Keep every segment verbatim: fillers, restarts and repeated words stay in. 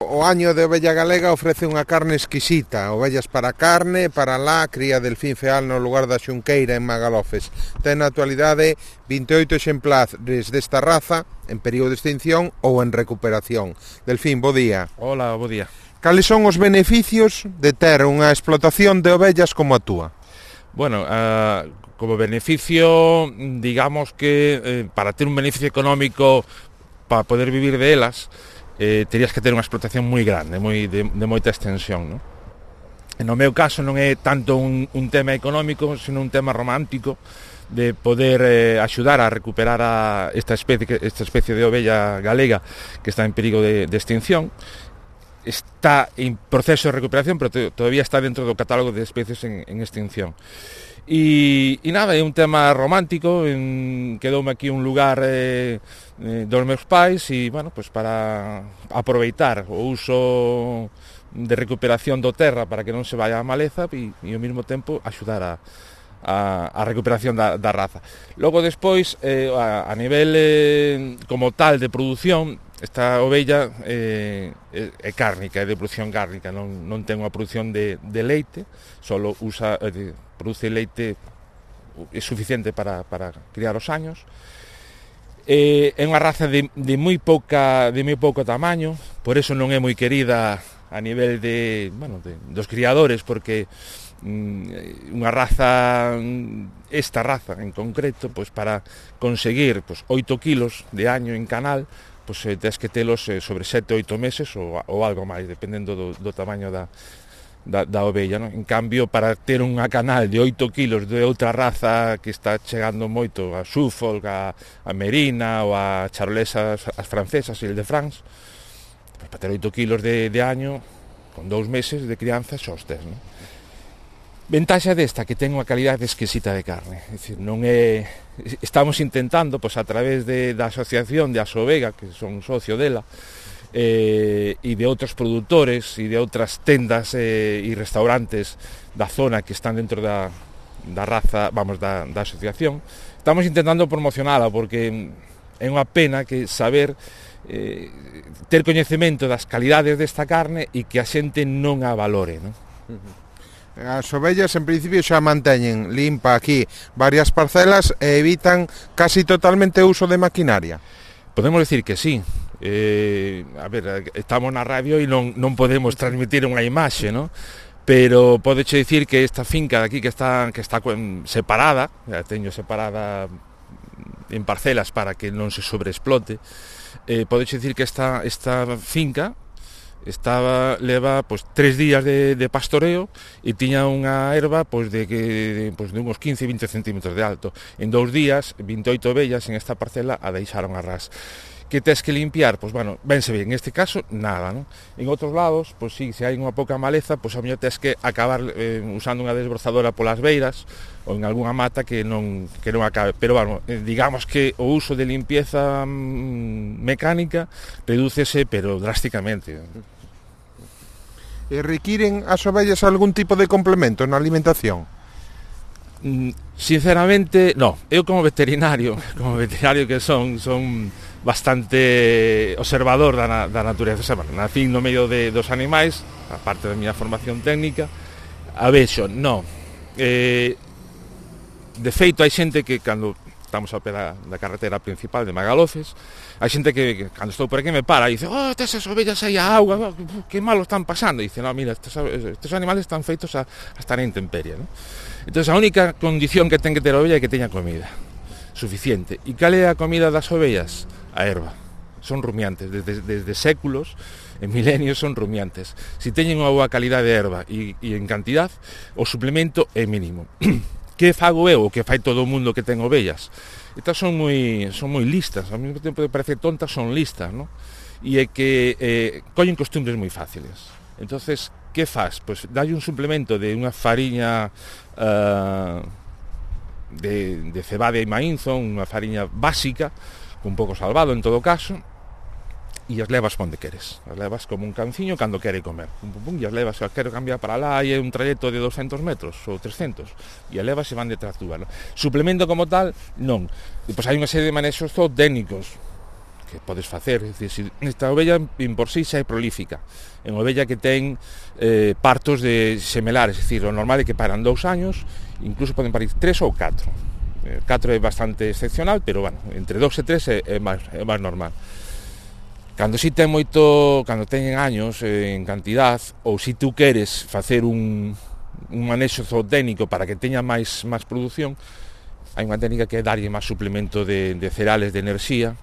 o año de ovella galega ofrece unha carne exquisita, ovellas para carne, para lá, cría delfín feal no lugar da Xunqueira en Magalofes. Ten na actualidade vinte e oito exemplares desta raza en período de extinción ou en recuperación. Delfín, bo día. Hola, bo día. Cales son os beneficios de ter unha explotación de ovellas como a túa? Bueno, uh, como beneficio, digamos que eh, para ter un beneficio económico para poder vivir de elas, eh, terías que ter unha explotación moi grande, moi de, de moita extensión, non? E no meu caso non é tanto un, un tema económico, sino un tema romántico de poder eh, axudar a recuperar a esta especie, esta especie de ovella galega que está en perigo de, de extinción. Está en proceso de recuperación, pero todavía está dentro do catálogo de especies en, en extinción. E, e nada, é un tema romántico, en, quedoume aquí un lugar eh, eh, dos meus pais e, bueno, pues para aproveitar o uso de recuperación do terra para que non se vaya a maleza e, e ao mesmo tempo axudar a, a, a recuperación da, da raza. Logo despois, eh, a, a nivel eh, como tal de produción, esta ovella eh, é cárnica, é de produción cárnica, non, non ten unha produción de, de leite, solo usa, eh, produce leite é suficiente para, para criar os años. Eh, é unha raza de, de moi pouca de moi pouco tamaño, por eso non é moi querida a nivel de, bueno, de, dos criadores, porque mm, unha raza, esta raza en concreto, pues para conseguir pues, oito kilos de año en canal, pois pues, tens que telos eh, sobre sete ou oito meses ou, ou algo máis, dependendo do, do tamaño da, da, da ovella, non? En cambio, para ter unha canal de oito kilos de outra raza que está chegando moito, a Suffolk, a, a Merina ou a Charolesas, as francesas, e el de France, pues, para ter oito kilos de, de año, con dous meses de crianza, xa os tes, non? Ventaxa desta, que ten unha calidade exquisita de carne, é dicir, non é... Estamos intentando, pois, a través de, da asociación de Asovega, que son socio dela, eh, e de outros produtores e de outras tendas eh, e restaurantes da zona que están dentro da, da raza, vamos, da, da asociación, estamos intentando promocionala, porque é unha pena que saber eh, ter coñecemento das calidades desta carne e que a xente non a valore, non? Uh-huh. As ovellas en principio xa manteñen limpa aquí varias parcelas e evitan casi totalmente o uso de maquinaria. Podemos decir que sí. Eh, a ver, estamos na radio e non, non podemos transmitir unha imaxe, ¿no? Pero podeche dicir que esta finca de aquí que está, que está separada, a teño separada en parcelas para que non se sobreexplote, eh, podeche dicir que esta, esta finca estaba leva pois tres días de, de pastoreo e tiña unha herba pois de que de, pois de uns quince a vinte centímetros de alto. En dous días, vinte e oito ovellas en esta parcela a deixaron a ras. Que tes que limpiar? Pois, bueno, vense ben, en este caso, nada, non? En outros lados, pois sí, se hai unha pouca maleza, pois a mellor tes que acabar eh, usando unha desbrozadora polas beiras ou en algunha mata que non, que non acabe. Pero, bueno, eh, digamos que o uso de limpieza mm, mecánica redúcese, pero drásticamente. E requiren as ovellas algún tipo de complemento na alimentación? Sinceramente, no. Eu como veterinario, como veterinario que son, son bastante observador da, da natureza. O sea, bueno, nacín no medio de, dos animais, a parte da miña formación técnica, a vexo, no. Eh, de feito, hai xente que cando estamos ao pé da, da carretera principal de Magalofes, hai xente que, que cando estou por aquí me para e dice, oh, estas ovellas aí a auga, que malo están pasando. E dice, no, mira, estes, estes animales están feitos a, a estar en intemperie, ¿no? Entón, a única condición que ten que ter a ovella é que teña comida suficiente. E cal é a comida das ovellas? A herba. Son rumiantes, desde, desde séculos, en milenios son rumiantes. Se teñen unha boa calidade de herba e, e en cantidad, o suplemento é mínimo. Que fago eu, o que fai todo o mundo que ten ovellas? Estas son moi, son moi listas, ao mesmo tempo de parecer tontas, son listas, ¿no? E é que eh, collen costumbres moi fáciles. Entonces, que faz? Pois dalle un suplemento de unha fariña uh, de, de cebada e maínzo, unha fariña básica, un pouco salvado en todo caso, e as levas onde queres. As levas como un canciño cando quere comer. Pum, pum, pum, e as levas, se quero cambiar para lá, e é un trayecto de doscientos metros ou trescentos, e as levas se van detrás túa, ¿no? Suplemento como tal, non. E pois hai unha serie de manexos zootécnicos que podes facer. É dicir, se esta ovella en por sí xa é prolífica, é unha ovella que ten eh, partos de semelares, é dicir, o normal é que paran dous años, incluso poden parir tres ou catro. Eh, catro é bastante excepcional, pero bueno, entre dous e tres é, é, máis, é máis normal. Cando si ten moito, cando teñen años eh, en cantidad, ou si tú queres facer un, un manexo zootécnico para que teña máis, máis produción, hai unha técnica que é darlle máis suplemento de, de cereales, de enerxía,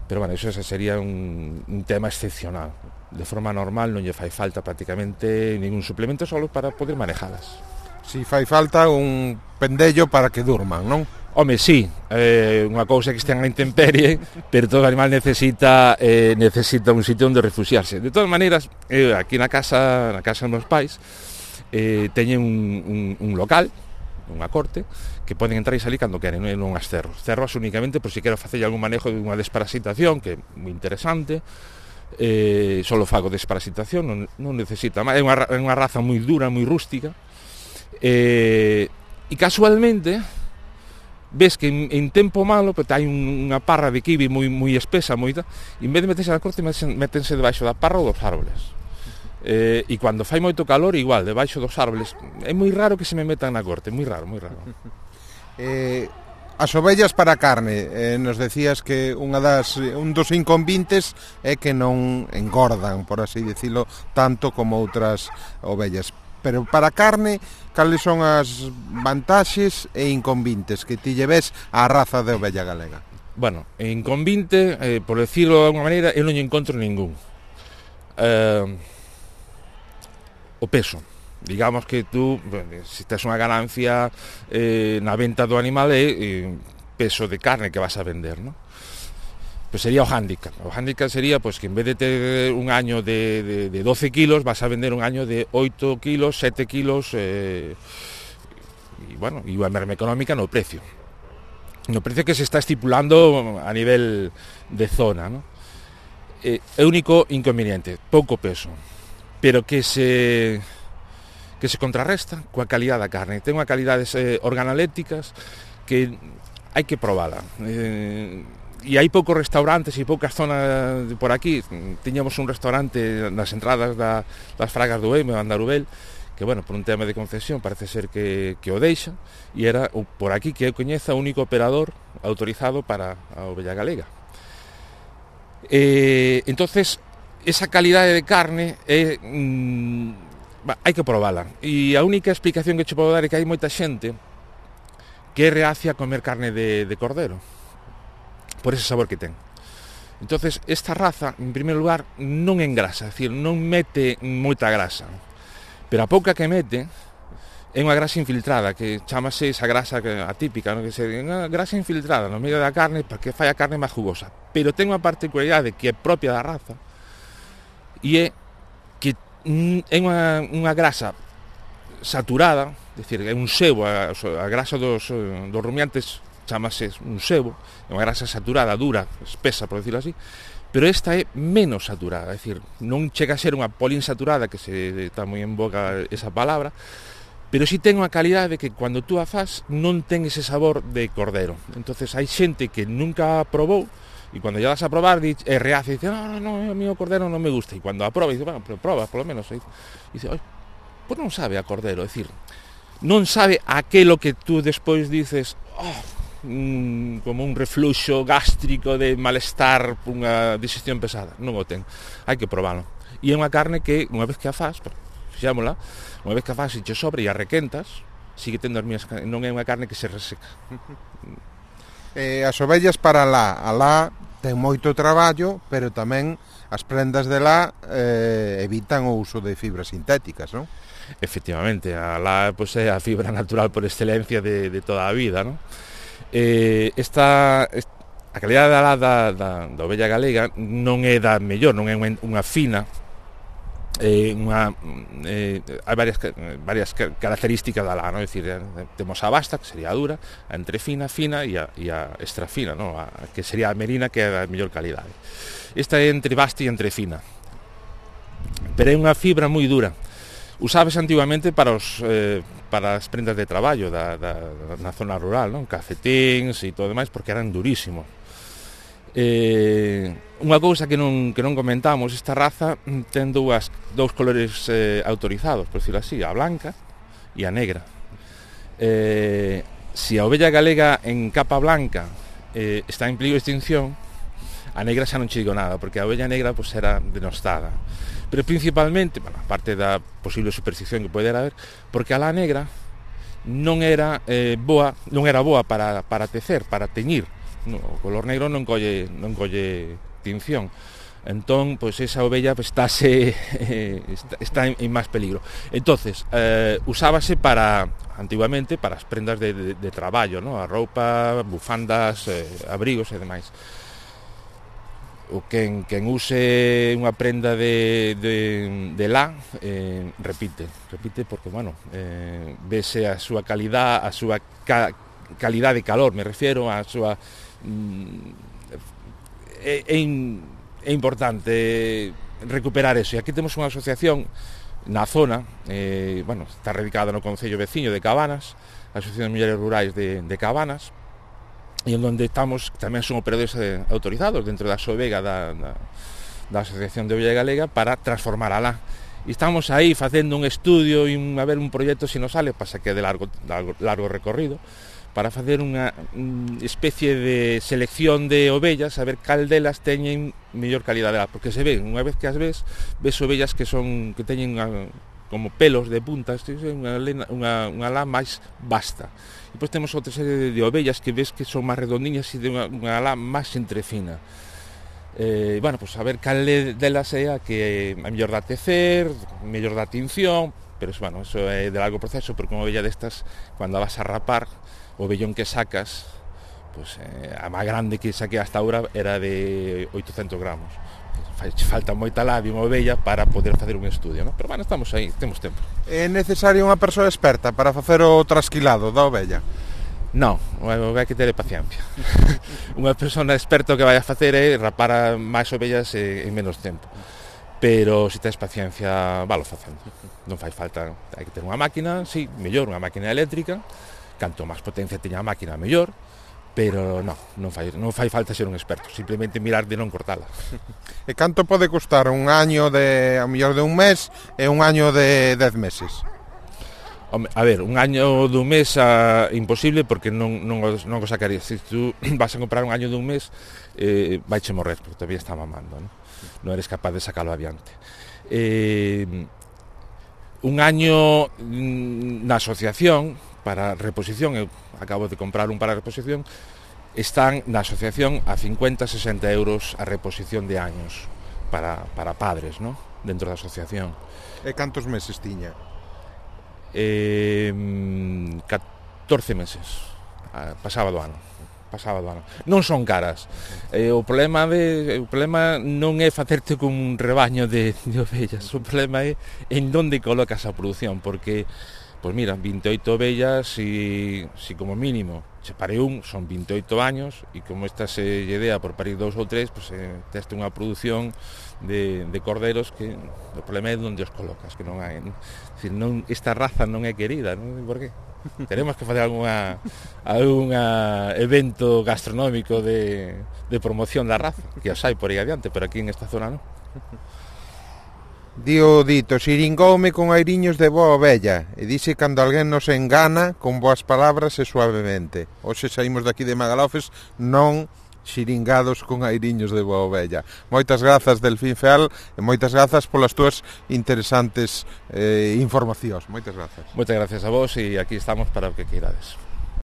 pero bueno, eso sería un, un tema excepcional. De forma normal non lle fai falta prácticamente ningún suplemento solo para poder manejalas. Si fai falta un pendello para que durman, non? Home, sí, eh, unha cousa que estean a intemperie, pero todo animal necesita eh, necesita un sitio onde refugiarse. De todas maneiras, eh, aquí na casa, na casa dos meus pais, eh, teñen un, un, un local, unha corte, que poden entrar e salir cando queren, non as cerros. Cerros únicamente por si quero facer algún manejo de unha desparasitación, que é moi interesante, eh, solo fago desparasitación, non, non necesita máis, é unha, é unha raza moi dura, moi rústica, eh, e casualmente ves que en, en tempo malo pues, hai un, unha parra de kiwi moi, moi espesa, moi, e en vez de meterse na corte, metense debaixo da parra ou dos árboles. Eh, e cando fai moito calor, igual, debaixo dos árboles. É moi raro que se me metan na corte, moi raro, moi raro. Eh, as ovellas para carne, eh, nos decías que unha das, un dos inconvintes é que non engordan, por así decirlo, tanto como outras ovellas. Pero para carne, cales son as vantaxes e inconvintes que ti lleves á raza de ovella galega? Bueno, inconvinte, eh, por decirlo de alguma maneira, eu non encontro ningún. Eh, o peso. Digamos que tú, bueno, se tes unha ganancia eh, na venta do animal é eh, peso de carne que vas a vender, non? Pues sería o hándicap. O hándicap sería pues, que en vez de ter un año de, de, de doce kilos, vas a vender un año de oito kilos, sete kilos, eh, e, bueno, e a merma económica no precio. No precio que se está estipulando a nivel de zona, ¿no? Eh, é único inconveniente, pouco peso, pero que se que se contrarresta coa calidad da carne. Ten unha calidades eh, organolépticas que hai que probala. Eh, e hai poucos restaurantes e poucas zonas por aquí. Tiñamos un restaurante nas entradas da, das Fragas do Eime, Andarubel, que, bueno, por un tema de concesión parece ser que, que o deixa, e era por aquí que eu coñeza o único operador autorizado para a ovella galega. Eh, entonces, esa calidade de carne é, mm, bah, hai que probala, e a única explicación que che podo dar é que hai moita xente que é reacia a comer carne de, de cordero, por ese sabor que ten. Entonces, esta raza, en primeiro lugar, non engrasa, é dicir, non mete moita grasa, pero a pouca que mete é unha grasa infiltrada, que chamase esa grasa atípica, non? Que se unha grasa infiltrada no medio da carne para que fai a carne máis jugosa, pero ten unha particularidade que é propia da raza, e é que é unha, unha grasa saturada, é dicir, é un sebo, a, a grasa dos, dos rumiantes chamase un sebo, é unha grasa saturada, dura, espesa, por decirlo así, pero esta é menos saturada, é dicir, non chega a ser unha poliinsaturada, que se está moi en boca esa palabra, pero si ten unha calidade que cando tú a fas non ten ese sabor de cordero. Entonces hai xente que nunca probou, e cando ya vas a probar é reacia, e dice, no, no, no, a mí o cordero non me gusta, e cando a proba, dice, bueno, pero proba, por lo menos, e dice, oi, pois non sabe a cordero, é dicir, non sabe aquelo que tú despois dices, oh, Un, como un refluxo gástrico de malestar, unha digestión pesada. Non o ten, hai que probalo. E é unha carne que, unha vez que a faz, fixámola, unha vez que a faz e che sobre e a requentas, sigue tendo as mías, non é unha carne que se reseca. Eh, as ovellas para lá, a lá ten moito traballo, pero tamén as prendas de lá eh, evitan o uso de fibras sintéticas, non? Efectivamente, a lá pues, é a fibra natural por excelencia de, de toda a vida, non? Eh, esta, a calidade da, da, da, da ovella galega non é da mellor, non é unha, unha fina, eh, unha, eh, hai varias, varias características da lá, non? É dicir, temos a basta, que sería a dura, a entrefina, fina e a, e a extra fina, non? A, que sería a merina, que é da mellor calidade. Esta é entre basta e entre fina, pero é unha fibra moi dura. Usábase antigamente para os eh, para as prendas de traballo da, da, na zona rural, non? Cafetíns e todo demais, porque eran durísimos. Eh, unha cousa que non, que non comentamos, esta raza ten dúas, dous colores eh, autorizados, por decirlo así, a blanca e a negra. Eh, se a ovella galega en capa blanca eh, está en peligro de extinción, a negra xa non che digo nada, porque a ovella negra pues, era denostada. Pero principalmente, bueno, aparte da posible superstición que pode haber, porque a la negra non era eh, boa, non era boa para, para tecer, para teñir. No, o color negro non colle, non colle tinción. Entón, pois pues, esa ovella pues, estáse, eh, está, está en, en máis peligro. Entonces, eh, usábase para, antiguamente, para as prendas de, de, de traballo, ¿no? A roupa, bufandas, eh, abrigos e demais. O quen, quen use unha prenda de, de, de lá, eh, repite, repite porque, bueno, eh, vese a súa calidad, a súa ca, calidad de calor, me refiero, a súa... Mm, é, é, é importante recuperar eso. E aquí temos unha asociación na zona, eh, bueno, está radicada no concello veciño de Cabanas, a Asociación de Mulleres Rurais de, de Cabanas, e en donde estamos, tamén son operadores eh, autorizados dentro da SOVEGA da, da, da Asociación de Ovella Galega para transformar alá. E estamos aí facendo un estudio e un, a ver un proxecto se nos sale, pasa que é de largo, largo, largo recorrido, para facer unha un especie de selección de ovellas, a ver cal delas teñen mellor calidade, porque se ven, unha vez que as ves, ves ovellas que son que teñen unha, como pelos de puntas, unha, unha, unha lá máis vasta. E depois temos outra serie de, de ovellas que ves que son máis redondiñas e de unha, unha lá máis entrefina. Eh, bueno, pois pues a ver cal delas é a que é mellor da tecer, mellor da tinción, pero bueno, eso é de largo proceso, porque unha ovella destas, cando a vas a rapar, o vellón que sacas, pues, eh, a máis grande que saquei hasta agora era de oitocentos gramos. Falta moita labia unha ovella para poder facer un estudio, ¿no? Pero bueno, estamos aí, temos tempo. É necesario unha persoa experta para facer o trasquilado da ovella? Non, hai que ter paciencia. Unha persona experta que vai a facer é rapar máis ovellas en menos tempo. Pero se tes paciencia, valo facendo. Non fai falta, hai que ter unha máquina, sí, mellor, unha máquina eléctrica. Canto máis potencia teña a máquina, mellor. Pero non, non fai, non fai falta ser un experto, simplemente mirar de non cortala. E canto pode custar un año de, a mellor de un mes e un año de dez meses? A ver, un año dun mes a, imposible porque non, non, non o sacarías. Se tú vas a comprar un año dun mes, eh, vaiche morrer porque todavía está mamando, non? Non eres capaz de sacalo adiante. Eh, un año na asociación para reposición, eu acabo de comprar un para reposición, están na asociación a cincuenta, sesenta euros a reposición de años para, para padres, ¿no? Dentro da asociación. E cantos meses tiña? Eh, catorce meses, pasaba do ano. Pasaba do ano. Non son caras. Eh, o problema de o problema non é facerte con un rebaño de, de ovellas, o problema é en onde colocas a produción, porque pois mira, vinte e oito ovellas e si como mínimo se pare un, son vinte e oito años e como esta se lle dea por parir dous ou tres, pois eh, teste unha produción de, de corderos que o problema é onde os colocas, que non hai, decir, non, esta raza non é querida, non sei por qué. Teremos que facer algunha algunha evento gastronómico de, de promoción da raza, que os hai por aí adiante, pero aquí en esta zona non. Dio dito, xiringoume con airiños de boa ovella, e dixe cando alguén nos engana con boas palabras e suavemente. Hoxe saímos daqui de Magalofes non xiringados con airiños de boa ovella. Moitas grazas, Delfín Feal, e moitas grazas polas túas interesantes eh, informacións. Moitas grazas. Moitas grazas a vos e aquí estamos para o que queirades.